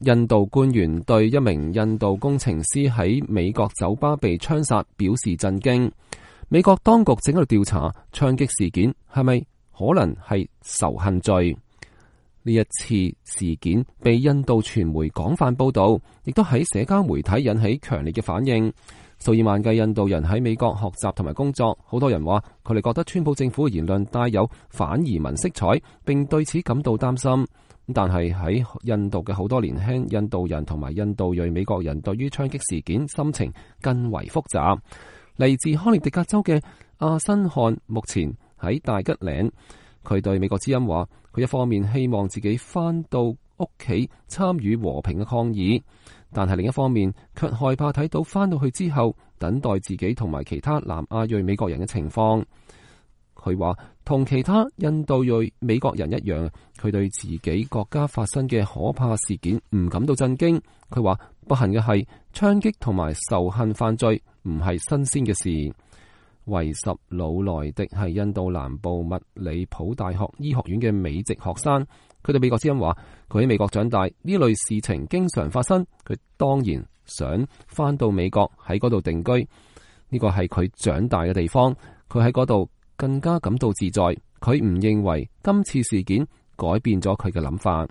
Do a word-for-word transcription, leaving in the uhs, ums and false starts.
印度官員對一名印度工程師喺美國酒吧被槍殺表示震驚。美國當局正喺度調查槍擊事件係咪可能係仇恨罪。呢一次事件被印度傳媒廣泛報道，亦都喺社交媒體引起強烈嘅反應。數以萬計印度人喺美國學習同埋工作，好多人話佢哋覺得川普政府嘅言論帶有反移民色彩，並對此感到擔心。但係喺印度嘅好多年輕印度人同埋印度裔美國人對於槍擊事件心情更為複雜。嚟自康涅狄格州嘅阿辛漢目前喺大吉嶺，佢對美國之音話，佢一方面希望自己返到屋企參與和平嘅抗議，但係另一方面卻害怕睇到返到去之後等待自己同埋其他南亞裔美國人嘅情況。佢話同其他印度裔美國人一樣，佢對自己國家發生嘅可怕事件唔感到震驚。佢話不幸嘅係槍擊同埋仇恨犯罪唔係新鮮嘅事。維什魯萊迪係印度南部密里普大學醫學院嘅美籍學生，佢對美國之音話，佢喺美國長大，呢類事情經常發生，佢當然想返到美國喺嗰度定居，呢個係佢長大嘅地方，佢喺嗰度更加感到自在，佢唔認為今次事件改變咗佢嘅諗法。